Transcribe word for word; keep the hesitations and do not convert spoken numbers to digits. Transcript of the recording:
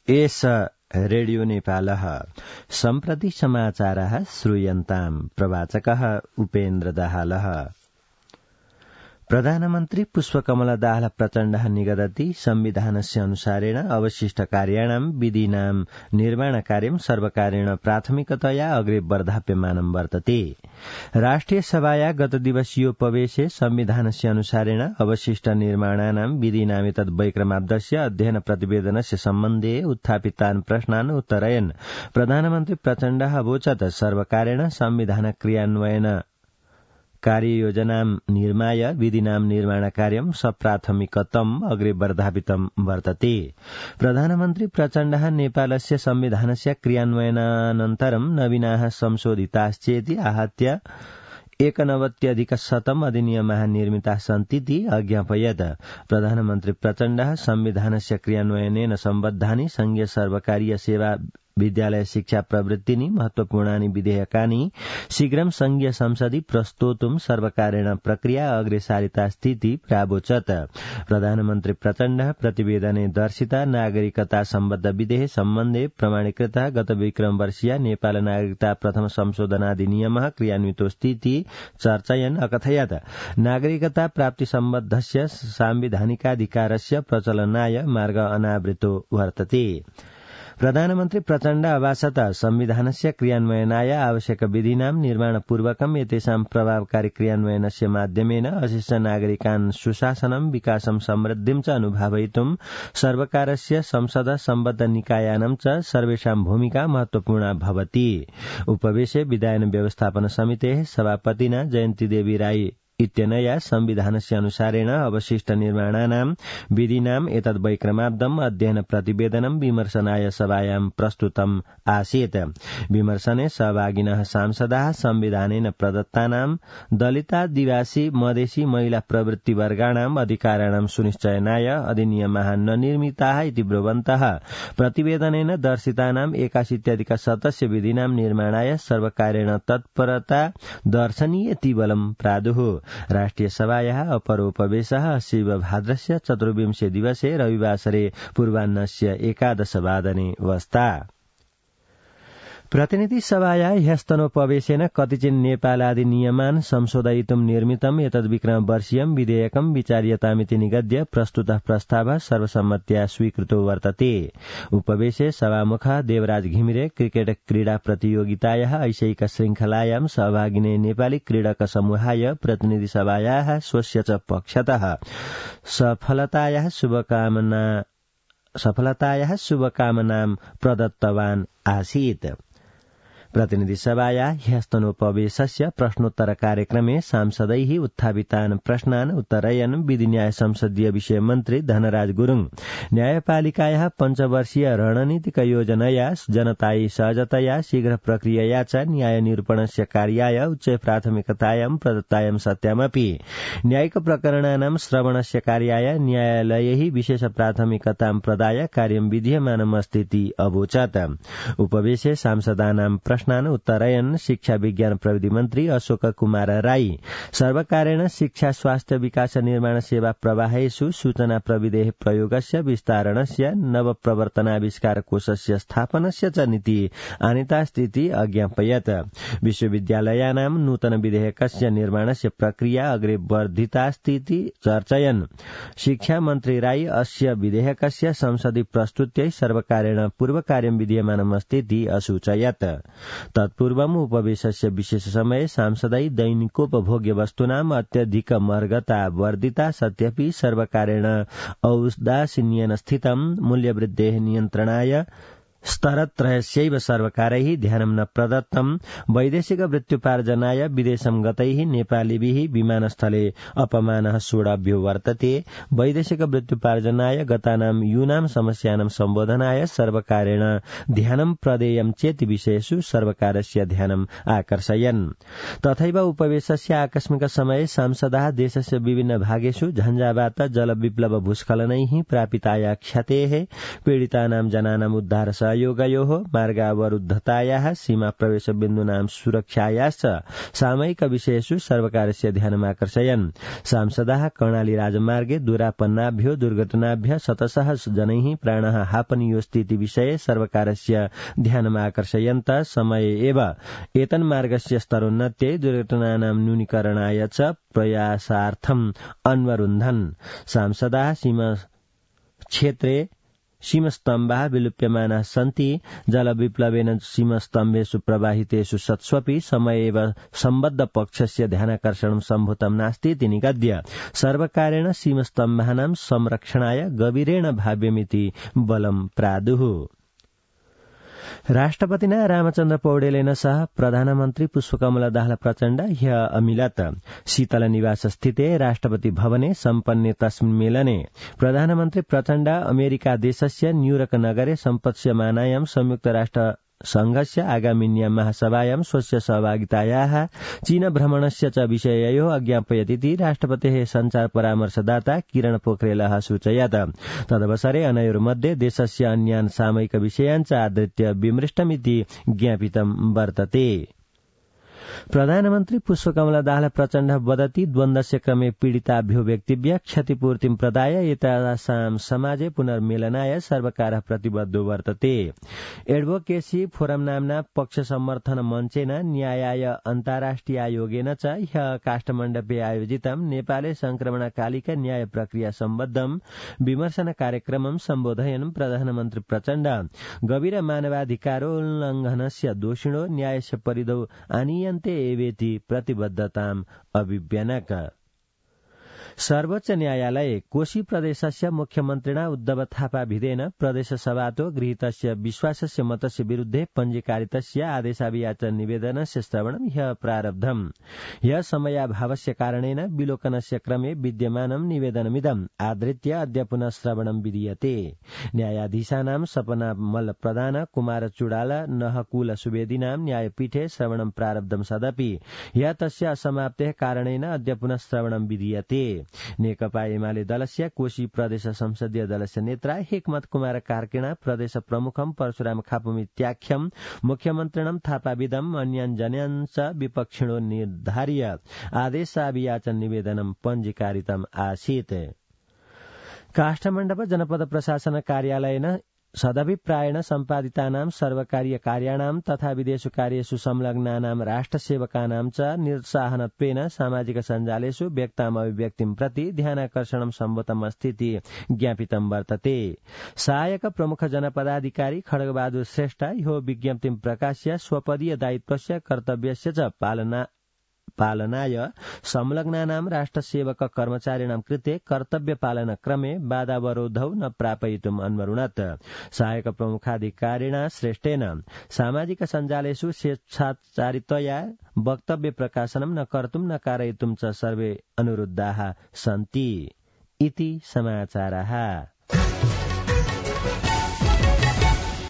एष रेडियो नेपालः सम्प्रति समाचारः श्रूयन्ताम् प्रवाचकः उपेन्द्र दाहालः। प्रधानमन्त्री पुष्पकमल दाहाल प्रचण्डः निगदति संविधानस्य अनुसारेण अवशिष्टकार्याणां विधीनां निर्माणकार्यं सर्वकारेण प्राथमिकतया अग्रे वर्धाप्यमानं वर्तते। राष्ट्रिय सभाया गत दिवसीयोपवेशे संविधानस्य अनुसारेण अवशिष्ट निर्माणानां विधीनामेतद् वैक्रमाब्दस्य अध्ययन प्रतिवेदनस्य सम्बन्धे उत्थापितान् प्रश्नान् उत्तरयन् प्रधानमन्त्री प्रचण्डः अवोचत् सर्वकारेण संविधान क्रियान्वयन कार्ययोजनां निर्माय विधिनां निर्माणकार्यं सप्राथमिकतम् अग्रे वर्धापितं वर्तते। प्रधानमन्त्री प्रचण्डः नेपालस्य संविधानस्य क्रियान्वयनानन्तरं नवीनाः संशोधिताश्चेति आहत्य एकनवत्यधिकशतम् अधिनियमाः निर्मिताः सन्तीति अज्ञापयत्। प्रधानमन्त्री प्रचण्डः संविधानस्य क्रियान्वयनेन सम्बद्धानि संघीय सर्वकारीय सेवा विद्यालय शिक्षा प्रवृत्तिनि महत्वपूर्णानि विधेयकानि शीघ्रं संघीय संसदि प्रस्तोतुं सर्वकारेण प्रक्रिया अग्रेसारितास्तीति प्रावोचत्। प्रधानमन्त्री प्रचण्डः प्रतिवेदने दर्शिता नागरिकता सम्बद्ध विधेय सम्बन्धे प्रमाणीकृतः गत विक्रम वर्षीय नेपाल नागरिकता प्रथम संशोधनाधिनियमः क्रियान्वितोऽस्तीति चर्चयन् अकथयत् नागरिकता प्राप्ति सम्बद्धस्य सांविधानिकाधिकारस्य प्रचलनाय मार्ग अनावृतो वर्तते। प्रधानमन्त्री प्रचण्ड अभासत संविधानस्य क्रियान्वयनाय आवश्यक विधिनां निर्माणपूर्वकम् एतेषां प्रभावकारी क्रियान्वयनस्य माध्यमेन अशिष्ट नागरिकान् सुशासनं विकासं समृद्धिं च अनुभवयितुं सर्वकारस्य संसद सम्बद्ध निकायानां च सर्वेषां भूमिका महत्वपूर्णा भवति। उपवेशे विधायन व्यवस्थापन समितेः सभापतिना जयन्ती देवी राई इत्यनया संविधानस्य अनुसारेण अवशिष्ट निर्माणानां विधिनाम् एतद् वैक्रमाब्दम् अध्ययन प्रतिवेदनं विमर्शनाय सभायां प्रस्तुतम् आसीत्। विमर्शने सहभागिनः सांसदाः संविधानेन प्रदत्तानां दलितादिवासी मधेसी महिला प्रवृत्तिवर्गाणाम् अधिकाराणां सुनिश्चयनाय अधिनियमाः न निर्मिताः इति ब्रुवन्तः प्रतिवेदनेन दर्शितानाम् एकाशीत्यधिकशतस्य विधिनां निर्माणाय सर्वकारेण तत्परता दर्शनीयति बलं प्रादुः। राष्ट्रिय सभायाः अपरोपवेशः शिव भाद्रस्य चतुर्विंशे दिवसे रविवासरे पूर्वाह्नस्य एकादशवादने वस्ता। प्रतिनिधि सभाया ह्यस्तनोपवेशेन कतिचिन् नेपालादि नियमान् संशोधयितुं निर्मितम् एतद् विक्रम वर्षीयं विधेयकं विचार्यतामिति निगद्य प्रस्तुतः प्रस्तावः सर्वसम्मत्या स्वीकृतो वर्तते। उपवेशे सभामुखः देवराज घिमिरे क्रिकेट क्रीडा प्रतियोगितायाः ऐशैक श्रृंखलायां सहभागिने नेपाली क्रीडक समूहाय प्रतिनिधि सभायाः स्वस्य च पक्षतः सफलतायाः शुभकामना सफलतायाः शुभकामनां प्रदत्तवान् आसीत्। प्रतिनिधि सभाया ह्यस्तनोपवेशस्य प्रश्नोत्तर कार्यक्रमे सांसदैः उत्थापितान् प्रश्नान् उत्तरयन् विधि न्याय संसदीय विषय मन्त्री धनराज गुरुङ न्यायपालिकायाः पञ्चवर्षीय रणनीतिक योजनया जनतायै सहजतया शीघ्र प्रक्रियया च न्याय निरूपणस्य कार्याय उच्च प्राथमिकतायां प्रदत्तायां सत्यामपि न्यायिक प्रकरणानां श्रवणस्य कार्याय न्यायालयैः विशेष प्राथमिकतां प्रदाय कार्यं विधीयमानमस्तीति अवोचत्। उपवेशे सांसदानां प्रश्नान् उत्तरयन् शिक्षा विज्ञान प्रविधि मन्त्री अशोक कुमार राई सर्वकारेण शिक्षा स्वास्थ्य विकास निर्माण सेवा प्रवाहेषु सूचना प्रविधेः प्रयोगस्य विस्तारणस्य नव प्रवर्तनाविष्कार कोषस्य स्थापनस्य च नीति आनीतास्तीति अज्ञापयत्। विश्वविद्यालयानां नूतन विधेयकस्य निर्माणस्य प्रक्रिया अग्रे वर्धितास्तीति चर्चयन् शिक्षा मन्त्री राई अस्य विधेयकस्य संसदि प्रस्तुत्यै सर्वकारेण पूर्वकार्यं विधीयमानमस्तीति असूचयत्। तत्पूर्वम् उपवेशस्य विशेष समये सांसदै दैनिकोपभोग्य वस्तूनाम् अत्यधिक महर्गता वर्धिता सत्यपि सर्वकारेण औदासीन्येन स्थितं मूल्यवृद्धेः नियन्त्रणाय स्तरत्रयस्यैव सर्वकारैः ध्यानं न प्रदत्तं वैदेशिक वृत्त्युपार्जनाय विदेशं गतैः नेपालीभिः विमानस्थले अपमानः सोढव्यो वर्तते। वैदेशिक वृत्त्युपार्जनाय गतानां यूनां समस्यानां सम्बोधनाय सर्वकारेण ध्यानं प्रदेयं चेति विषयेषु सर्वकारस्य ध्यानम् आकर्षयन्। तथैव उपवेशस्य आकस्मिक समये सांसदाः देशस्य विभिन्न भागेषु झञ्झावात जलविप्लव भूस्खलनैः प्रापिताया क्षतेः पीडितानां जनानाम् उद्धार प्रयोगयोः मार्गावरुद्धतायाः सीमा प्रवेशबिन्दूनां सुरक्षायाश्च सामयिकविषयेषु सर्वकारस्य ध्यानमाकर्षयन्। सांसदाः कर्णाली राजमार्गे दुरापन्नाभ्यो दुर्घटनाभ्यः शतशः जनैः प्राणः हापनीयोस्तीति विषये सर्वकारस्य ध्यानमाकर्षयन्त समये एव एतन्मार्गस्य स्तरोन्नत्यै दुर्घटनानां न्यूनीकरणाय च प्रयासार्थम् अन्वरुन्धन्। सांसदाः सीमा क्षेत्रे सीमस्तम्भाः विलुप्यमानाः सन्ति। जलविप्लवेन सीमस्तम्भेषु प्रवाहितेषु सत्स्वपि समये एव सम्बद्ध पक्षस्य ध्यानाकर्षणं सम्भूतं नास्ति इति निगद्य सर्वकारेण सीमस्तम्भानां संरक्षणाय गभीरेण भाव्यमिति बलं प्रादुः। राष्ट्रपतिना रामचन्द्र पौडेलेन सह प्रधानमन्त्री पुष्पकमल दाहाल प्रचण्ड ह्य अमिलत्। शीतल निवास स्थिते राष्ट्रपति भवने सम्पन्ने तस्मिन् मेलने प्रधानमन्त्री प्रचण्ड अमेरिका देशस्य न्यूयॉर्क नगरे सम्पत्स्यमानायां संयुक्त राष्ट्र संघस्य आगामिन्यां महासभायां स्वस्य सहभागितायाः चीन भ्रमणस्य च विषययोः अज्ञापयतीति राष्ट्रपतेः सञ्चार परामर्शदाता किरण पोखरेलः सूचयत्। तदवसरे अनयोर्मध्ये देशस्य अन्यान् सामयिक विषयान् च आधृत्य विमृष्टमिति ज्ञापितं वर्तते। प्रधानमन्त्री पुष्पकमल दाहाल प्रचण्ड वदति द्वन्द्वस्य क्रमे पीडिताभ्यो व्यक्तिभ्यः क्षतिपूर्तिं प्रदाय एतासां समाजे पुनर्मेलनाय सर्वकारः प्रतिबद्धो वर्तते। एडवोकेसी फोरम नाम्ना पक्ष समर्थन मञ्चेन न्यायाय अन्ताराष्ट्रियायोगेन च ह्यः काष्ठमण्डपे आयोजितं नेपाले संक्रमणकालिक न्याय प्रक्रिया सम्बद्धं विमर्शन कार्यक्रमं सम्बोधयन् प्रधानमन्त्री प्रचण्ड गभीर मानवाधिकारोल्लङ्घनस्य दोषिणो न्यायस्य परिधौ आनीयन्ते एवेति प्रतिबद्धताम् अभिव्यनक। सर्वोच्च न्यायालये कोशी प्रदेशस्य मुख्यमन्त्रिणा उद्धव थापा विधेन प्रदेशसभातो गृहीतस्य विश्वासस्य मतस्य विरुद्धे पञ्जीकारितस्य आदेशाभियाचन निवेदनस्य श्रवणं ह्यः प्रारब्धम्। ह्यः समयाभावस्य कारणेन विलोकनस्य क्रमे विद्यमानं निवेदनमिदम् आधृत्य अद्य पुनः श्रवणं विधीयते। न्यायाधीशानां सपना मल्ल प्रधान कुमार चुडाल नहकुल सुवेदीनां न्यायपीठे श्रवणं प्रारब्धं सदपि ह्यः तस्य असमाप्तेः कारणेन अद्य पुनः श्रवणं विधीयते। नेकपा एमाले दलस्य कोशी प्रदेश संसदीय दलस्य नेत्रा हेकमत कुमार कार्कीण प्रदेश प्रमुखं परशुराम खापमित्याख्यं मुख्यमन्त्रिणं थापाविदम् अन्यान् जनान् च विपक्षिणो निर्धार्य आदेशाभियाचन निवेदनं पञ्जीकारितम् आसीत्। काष्ठमण्डप जनपद प्रशासन कार्यालयेन सदभिप्रायेण सम्पादितानां सर्वकारीय कार्याणां तथा विदेश कार्येषु संलग्नानां राष्ट्रसेवकानां च निरुत्साहनत्वेन सामाजिक सञ्जालेषु व्यक्ताम् अभिव्यक्तिं प्रति ध्यानाकर्षणं सम्भूतमस्तीति ज्ञापितं वर्तते। सहायक प्रमुख जनपदाधिकारी खड्गबहादुर श्रेष्ठ यो विज्ञप्तिं प्रकाश्य स्वपदीय दायित्वस्य कर्तव्यस्य च पालना पालनाय संलग्नानां राष्ट्रसेवक कर्मचारिणां कृते कर्तव्य पालन क्रमे बाधावरोधौ न प्रापयितुम् अन्वरुणत्। सहायक प्रमुखाधिकारिणा श्रेष्ठेन सामाजिक सञ्जालेषु स्वेच्छाचारितया वक्तव्य प्रकाशनं न कर्तुं न कारयितुं च सर्वे अनुरुद्धाः सन्ति इति समाचारः।